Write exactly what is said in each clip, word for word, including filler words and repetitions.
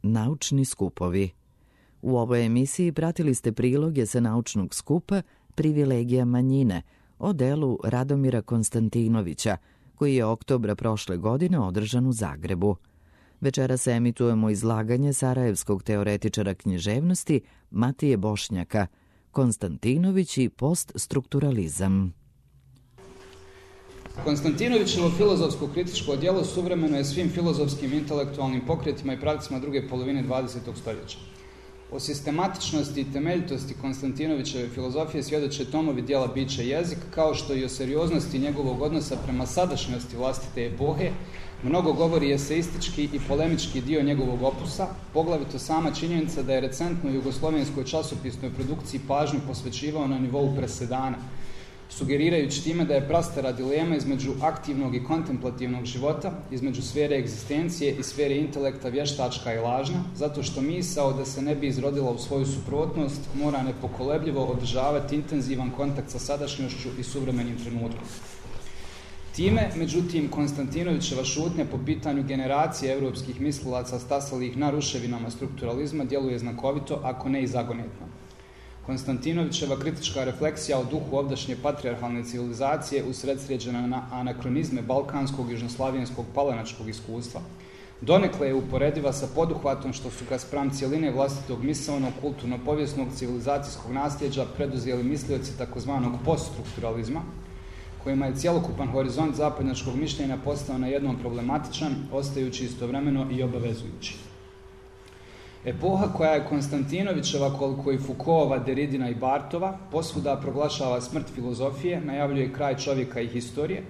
Naučni skupovi. U ovoj emisiji pratili ste priloge sa naučnog skupa Privilegija manjine o delu Radomira Konstantinovića, koji je oktobra prošle godine održan u Zagrebu. Večeras emitujemo izlaganje sarajevskog teoretičara književnosti Matije Bošnjaka, Konstantinović i poststrukturalizam. Konstantinovićevo filozofsko kritičko djelo suvremeno je svim filozofskim intelektualnim pokretima i pravcima druge polovine dvadesetog stoljeća. O sistematičnosti i temeljitosti Konstantinovićeve filozofije svjedoče tomovi djela Biće i jezik, kao što i o serioznosti njegovog odnosa prema sadašnjosti vlastite epohe. Mnogo govori eseistički i polemički dio njegovog opusa, poglavito sama činjenica da je recentno jugoslovenskoj časopisnoj produkciji pažnju posvećivao na nivou presedana, sugerirajući time da je prastara dilema između aktivnog i kontemplativnog života, između sfere egzistencije i sfere intelekta vještačka i lažna, zato što misao da se ne bi izrodila u svoju suprotnost mora nepokolebljivo održavati intenzivan kontakt sa sadašnjošću i suvremenim trenutkom. Time, međutim, Konstantinovićeva šutnja po pitanju generacije europskih mislilaca stasalih na ruševinama strukturalizma djeluje znakovito, ako ne i zagonetno. Konstantinovićeva kritička refleksija o duhu ovdašnje patrijarhalne civilizacije usredsređena na anakronizme balkanskog, južnoslavijenskog, palanačkog iskustva, donekle je uporediva sa poduhvatom što su ga spram cijeline vlastitog misaonog, kulturno-povijesnog, civilizacijskog nasljeđa preduzeli mislioci takozvanog poststrukturalizma, kojima je cjelokupan horizont zapadnjačkog mišljenja postao na jednom problematičan, ostajući istovremeno i obavezujući. Epoha koja je Konstantinovićeva, koliko i Foucaultova, Deridina i Bartova, posvuda proglašava smrt filozofije, najavljuje kraj čovjeka i historije,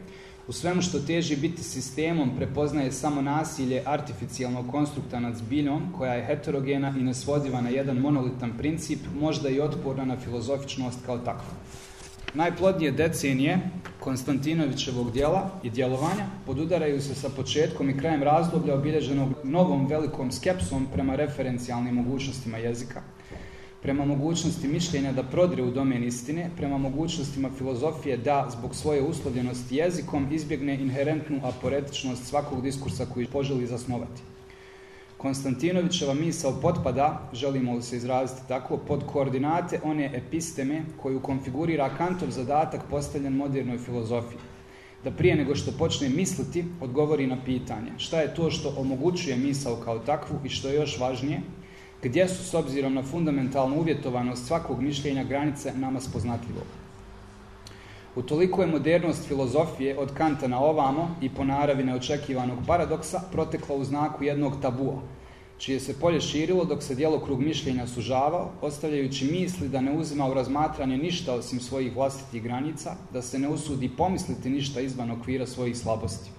u svemu što teži biti sistemom prepoznaje samo nasilje artificijalnog konstrukta nad zbiljom, koja je heterogena i nesvodiva na jedan monolitan princip, možda i otporna na filozofičnost kao takvu. Najplodnije decenije Konstantinovićevog djela i djelovanja podudaraju se sa početkom i krajem razdoblja obilježenog novom velikom skepsom prema referencijalnim mogućnostima jezika, prema mogućnosti mišljenja da prodire u domen istine, prema mogućnostima filozofije da, zbog svoje uslovljenosti jezikom, izbjegne inherentnu aporetičnost svakog diskursa koji poželi zasnovati. Konstantinovićeva misao potpada, želimo li se izraziti tako, pod koordinate one episteme koju konfigurira Kantov zadatak postavljen modernoj filozofiji. Da prije nego što počne misliti, odgovori na pitanje šta je to što omogućuje misao kao takvu i što je još važnije, gdje su s obzirom na fundamentalnu uvjetovanost svakog mišljenja granice nama spoznatljivog. Utoliko je modernost filozofije od Kanta na ovamo i po naravi neočekivanog paradoksa protekla u znaku jednog tabua, čije se polje širilo dok se djelokrug mišljenja sužavao, ostavljajući misli da ne uzima u razmatranje ništa osim svojih vlastitih granica, da se ne usudi pomisliti ništa izvan okvira svojih slabosti.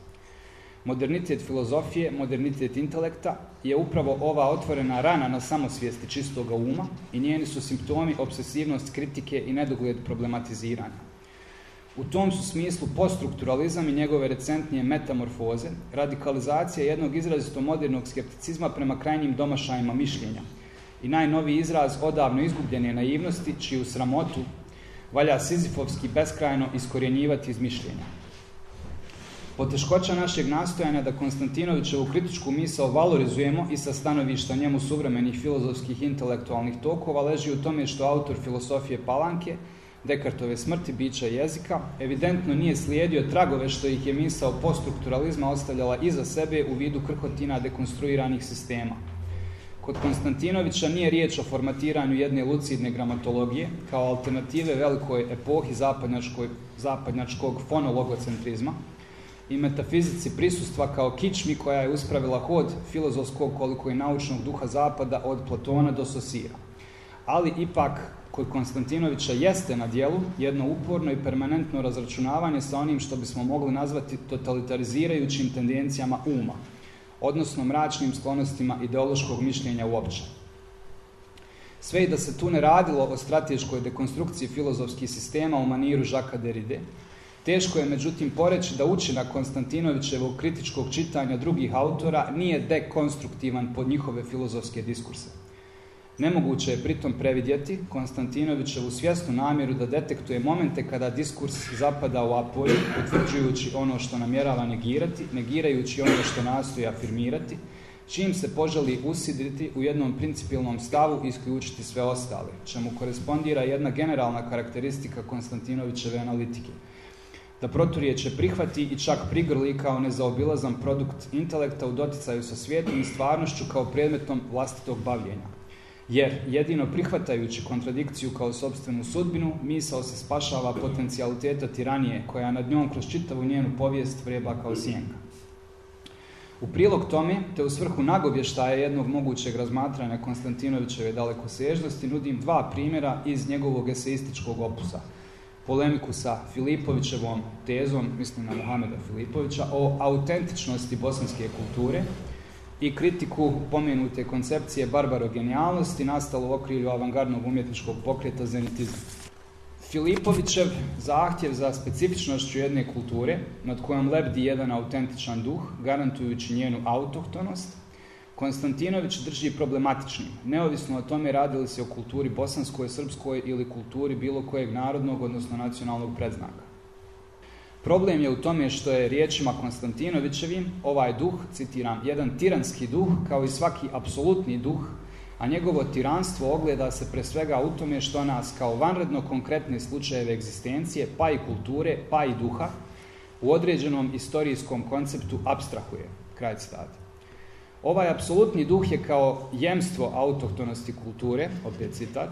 Modernitet filozofije, modernitet intelekta je upravo ova otvorena rana na samosvijesti čistoga uma i njeni su simptomi obsesivnost kritike i nedogled problematiziranja. U tom su smislu poststrukturalizam i njegove recentnije metamorfoze, radikalizacija jednog izrazito modernog skepticizma prema krajnjim domašajima mišljenja i najnoviji izraz odavno izgubljene naivnosti, čiju sramotu valja sizifovski beskrajno iskorjenjivati iz mišljenja. Poteškoća našeg nastojanja da Konstantinovićevu kritičku misao valorizujemo i sa stanovišta njemu suvremenih filozofskih intelektualnih tokova leži u tome što autor filosofije Palanke, Dekartove smrti bića jezika, evidentno nije slijedio tragove što ih je misao poststrukturalizma ostavljala iza sebe u vidu krhotina dekonstruiranih sistema. Kod Konstantinovića nije riječ o formatiranju jedne lucidne gramatologije kao alternative velikoj epohi zapadnjačkog fonologocentrizma i metafizici prisustva kao kičmi koja je uspravila hod filozofskog koliko i naučnog duha zapada od Platona do Sosira. Ali ipak kod Konstantinovića jeste na djelu jedno uporno i permanentno razračunavanje sa onim što bismo mogli nazvati totalitarizirajućim tendencijama uma, odnosno mračnim sklonostima ideološkog mišljenja uopće. Sve i da se tu ne radilo o strateškoj dekonstrukciji filozofskih sistema u maniru Jacquesa Derride, teško je međutim poreći da učinak Konstantinovićevog kritičkog čitanja drugih autora nije dekonstruktivan pod njihove filozofske diskurse. Nemoguće je pritom previdjeti Konstantinovićevu svjesnu namjeru da detektuje momente kada diskurs zapada u apolju, utvrđujući ono što namjerava negirati, negirajući ono što nastoji afirmirati, čim se poželi usidriti u jednom principijelnom stavu i isključiti sve ostale, čemu korespondira jedna generalna karakteristika Konstantinovićeve analitike. Da proturječe prihvati i čak prigrli kao nezaobilazan produkt intelekta u doticaju sa svijetom i stvarnošću kao predmetom vlastitog bavljenja. Jer jedino prihvatajući kontradikciju kao sopstvenu sudbinu, misao se spašava potencijaliteta tiranije koja nad njom kroz čitavu njenu povijest vreba kao sjenka. U prilog tome, te u svrhu nagovještaja jednog mogućeg razmatranja Konstantinovićeve dalekosežnosti, nudim dva primjera iz njegovog eseističkog opusa. Polemiku sa Filipovićevom tezom, mislim na Mohameda Filipovića, o autentičnosti bosanske kulture i kritiku pomenute koncepcije barbarogenijalnosti nastalo u okrilju avangardnog umjetničkog pokreta zenitizma. Filipovićev zahtjev za specifičnošću jedne kulture, nad kojom lebdi jedan autentičan duh, garantujući njenu autohtonost, Konstantinović drži problematičnim, neovisno o tome radi li se o kulturi bosanskoj, srpskoj ili kulturi bilo kojeg narodnog, odnosno nacionalnog predznaka. Problem je u tome što je riječima Konstantinovićevim ovaj duh, citiram, jedan tiranski duh kao i svaki apsolutni duh, a njegovo tiranstvo ogleda se pre svega u tome što nas kao vanredno konkretne slučajeve egzistencije, pa i kulture, pa i duha, u određenom istorijskom konceptu apstrahuje. Kraj citata. Ovaj apsolutni duh je kao jemstvo autohtonosti kulture, opet citat,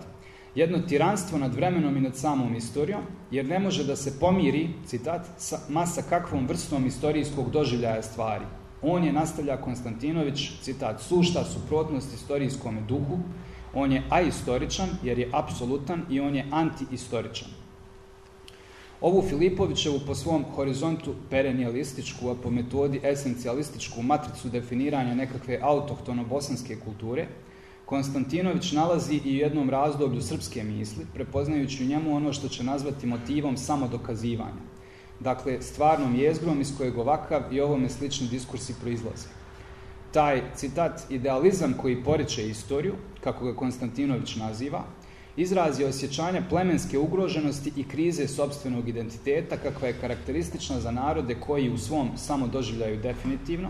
jedno tiranstvo nad vremenom i nad samom istorijom, jer ne može da se pomiri, citat, ma sa kakvom vrstom istorijskog doživljaja stvari. On je, nastavlja Konstantinović, citat, sušta suprotnost istorijskome duhu, on je ahistoričan jer je apsolutan i on je antihistoričan. Ovu Filipovićevu po svom horizontu perenijalističku, a po metodi esencijalističku matricu definiranja nekakve autohtono bosanske kulture, Konstantinović nalazi i u jednom razdoblju srpske misli, prepoznajući u njemu ono što će nazvati motivom samodokazivanja. Dakle, stvarnom jezgrom iz kojeg ovakav i ovome slični diskursi proizlaze. Taj, citat, idealizam koji poriče istoriju, kako ga Konstantinović naziva, izraz je osjećanja plemenske ugroženosti i krize sopstvenog identiteta, kakva je karakteristična za narode koji u svom samodoživljaju definitivno,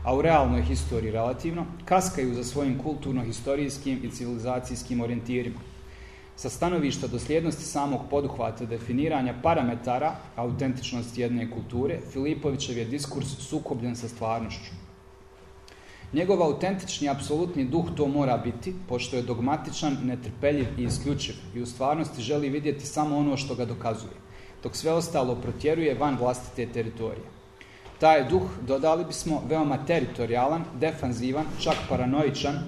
a u realnoj historiji relativno, kaskaju za svojim kulturno-historijskim i civilizacijskim orijentirima. Sa stanovišta dosljednosti samog poduhvata definiranja parametara autentičnosti jedne kulture, Filipovićev je diskurs sukobljen sa stvarnošću. Njegov autentični, apsolutni duh to mora biti, pošto je dogmatičan, netrpeljiv i isključiv i u stvarnosti želi vidjeti samo ono što ga dokazuje, dok sve ostalo protjeruje van vlastite teritorije. Taj duh, dodali bismo, veoma teritorijalan, defanzivan, čak paranoičan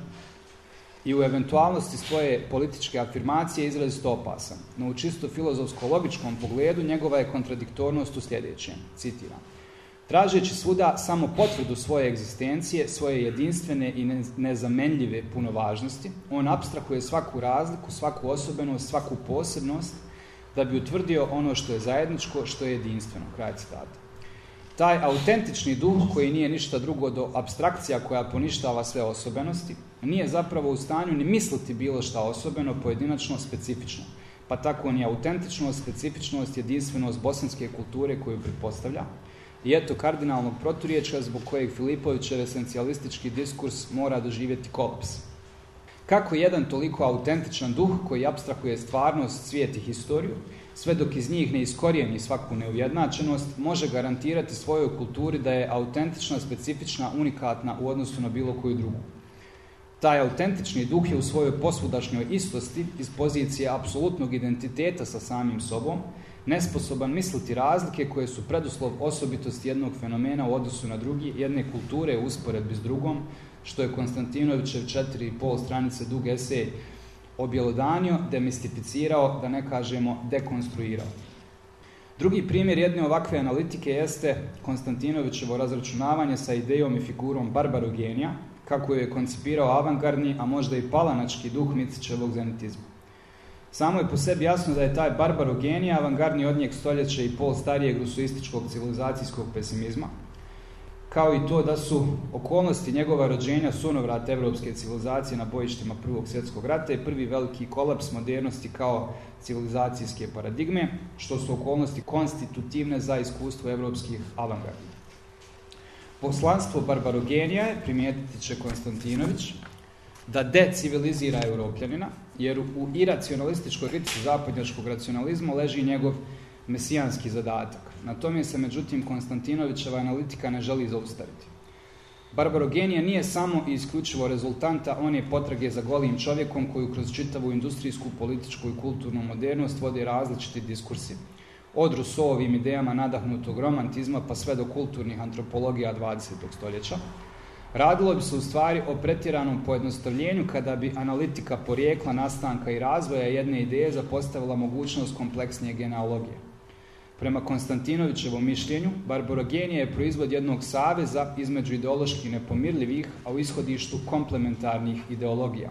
i u eventualnosti svoje političke afirmacije izrazito opasan. No u čisto filozofsko-logičkom pogledu njegova je kontradiktornost u sljedećem, citiram. Tražeći svuda samo potvrdu svoje egzistencije, svoje jedinstvene i nezamenljive punovažnosti, on apstrahuje svaku razliku, svaku osobenost, svaku posebnost, da bi utvrdio ono što je zajedničko, što je jedinstveno. Kraj citata. Taj autentični duh, koji nije ništa drugo do apstrakcija koja poništava sve osobenosti, nije zapravo u stanju ni misliti bilo šta osobeno, pojedinačno, specifično. Pa tako ni autentičnost, specifičnost, jedinstvenost bosanske kulture koju pretpostavlja. I eto kardinalnog proturječja zbog kojeg Filipovićev esencijalistički diskurs mora doživjeti kolaps. Kako jedan toliko autentičan duh koji apstrahuje stvarnost, svijet i historiju, sve dok iz njih ne iskorijeni svaku neujednačenost, može garantirati svojoj kulturi da je autentična, specifična, unikatna u odnosu na bilo koju drugu. Taj autentični duh je u svojoj posvudašnjoj istosti iz pozicije apsolutnog identiteta sa samim sobom, nesposoban misliti razlike koje su preduslov osobitosti jednog fenomena u odnosu na drugi, jedne kulture u usporedbi s drugom, što je Konstantinovićev četiri i pol stranice dug esej objelodanio, demistificirao, da ne kažemo dekonstruirao. Drugi primjer jedne ovakve analitike jeste Konstantinovićevo razračunavanje sa idejom i figurom barbarogenija, kako je koncipirao avangardni, a možda i palanački duh Micićevog zenitizma. Samo je po sebi jasno da je taj barbarogenija avangardni od njeg stoljeća i pol starijeg rusoističkog civilizacijskog pesimizma, kao i to da su okolnosti njegova rođenja sunovrat evropske civilizacije na bojištima Prvog svjetskog rata i prvi veliki kolaps modernosti kao civilizacijske paradigme, što su okolnosti konstitutivne za iskustvo evropskih avangardi. Poslanstvo barbarogenija je, primijetiti će Konstantinović, da decivilizira Europljanina, jer u iracionalističkoj kritici zapadnjačkog racionalizma leži njegov mesijanski zadatak. Na tome se, međutim, Konstantinovićeva analitika ne želi zaustaviti. Barbarogenija nije samo i isključivo rezultanta one potrage za golim čovjekom koju kroz čitavu industrijsku, političku i kulturnu modernost vode različiti diskursi. Od Rousseauovim idejama nadahnutog romantizma pa sve do kulturnih antropologija dvadesetog stoljeća. Radilo bi se u stvari o pretjeranom pojednostavljenju kada bi analitika porijekla, nastanka i razvoja jedne ideje zapostavila mogućnost kompleksnije genealogije. Prema Konstantinovićevom mišljenju, barbarogenija je proizvod jednog saveza između ideološki nepomirljivih, a u ishodištu komplementarnih ideologija,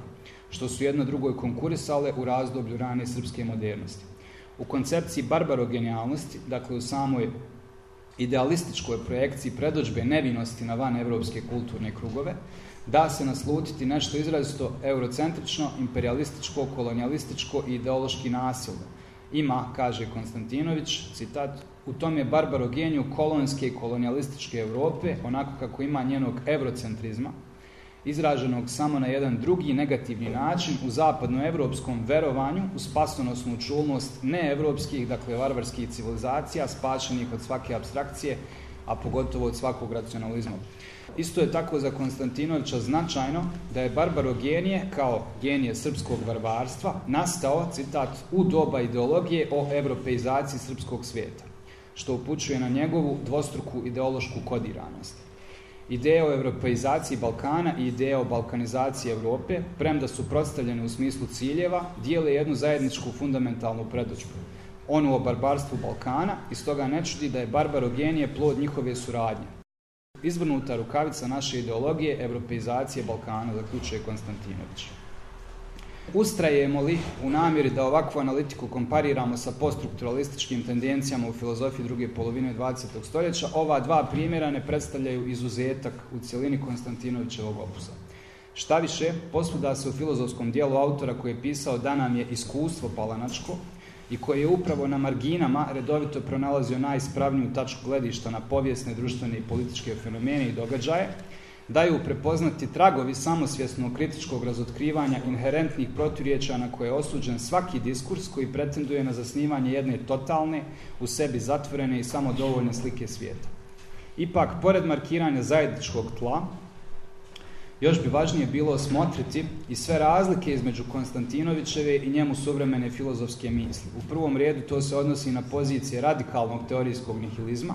što su jedno drugoj konkurisale u razdoblju rane srpske modernosti. U koncepciji barbarogenijalnosti, dakle u samoj idealističkoj projekciji predodžbe nevinosti na van evropske kulturne krugove, da se naslutiti nešto izrazito eurocentrično, imperialističko, kolonijalističko i ideološki nasilno. Ima, kaže Konstantinović, citat, u tom je barbarogeniju kolonske i kolonijalističke Europe, onako kako ima njenog eurocentrizma, izraženog samo na jedan drugi negativni način u zapadnoevropskom verovanju u spasonosnu čulnost neevropskih, dakle varvarskih civilizacija, spašenih od svake apstrakcije, a pogotovo od svakog racionalizma. Isto je tako za Konstantinovića značajno da je barbarogenije, kao genije srpskog varvarstva, nastao, citat, u doba ideologije o evropeizaciji srpskog svijeta, što upućuje na njegovu dvostruku ideološku kodiranost. Ideje o evropeizaciji Balkana i ideje o balkanizaciji Europe, premda su predstavljene u smislu ciljeva, dijele jednu zajedničku fundamentalnu predodžbu. Onu o barbarstvu Balkana, i stoga ne čudi da je barbarogenije plod njihove suradnje. Izvrnuta rukavica naše ideologije evropeizacije Balkana, zaključuje Konstantinović. Ustrajemo li u namjeri da ovakvu analitiku kompariramo sa poststrukturalističkim tendencijama u filozofiji druge polovine dvadesetog stoljeća, ova dva primjera ne predstavljaju izuzetak u cjelini Konstantinovićevog opusa. Šta više, posvuda se u filozofskom dijelu autora koji je pisao da nam je iskustvo palanačko i koji je upravo na marginama redovito pronalazio najispravniju tačku gledišta na povijesne, društvene i političke fenomene i događaje, daju prepoznati tragovi samosvjesnog kritičkog razotkrivanja inherentnih proturječja na koje je osuđen svaki diskurs koji pretenduje na zasnivanje jedne totalne, u sebi zatvorene i samodovoljne slike svijeta. Ipak, pored markiranja zajedničkog tla, još bi važnije bilo osmotriti i sve razlike između Konstantinovićeve i njemu suvremene filozofske misli. U prvom redu to se odnosi na pozicije radikalnog teorijskog nihilizma,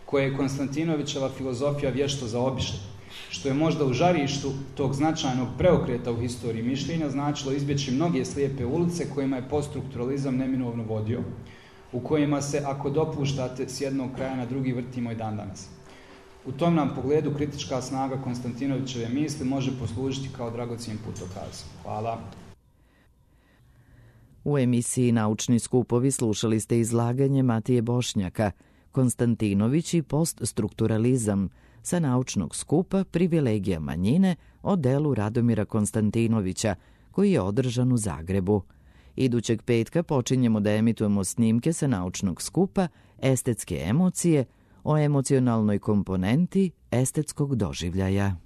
koje je Konstantinovićeva filozofija vješto zaobišla, što je možda u žarištu tog značajnog preokreta u historiji mišljenja značilo izbjeći mnoge slijepe ulice kojima je poststrukturalizam neminovno vodio, u kojima se, ako dopuštate, s jednog kraja na drugi vrtimo i dan danas. U tom nam pogledu kritička snaga Konstantinovićeve misli može poslužiti kao dragocjen putokaz. Hvala. U emisiji Naučni skupovi slušali ste izlaganje Matije Bošnjaka, Konstantinović i poststrukturalizam, sa naučnog skupa Privilegija manjine o delu Radomira Konstantinovića, koji je održan u Zagrebu. Idućeg petka počinjemo da emitujemo snimke sa naučnog skupa Estetske emocije o emocionalnoj komponenti estetskog doživljaja.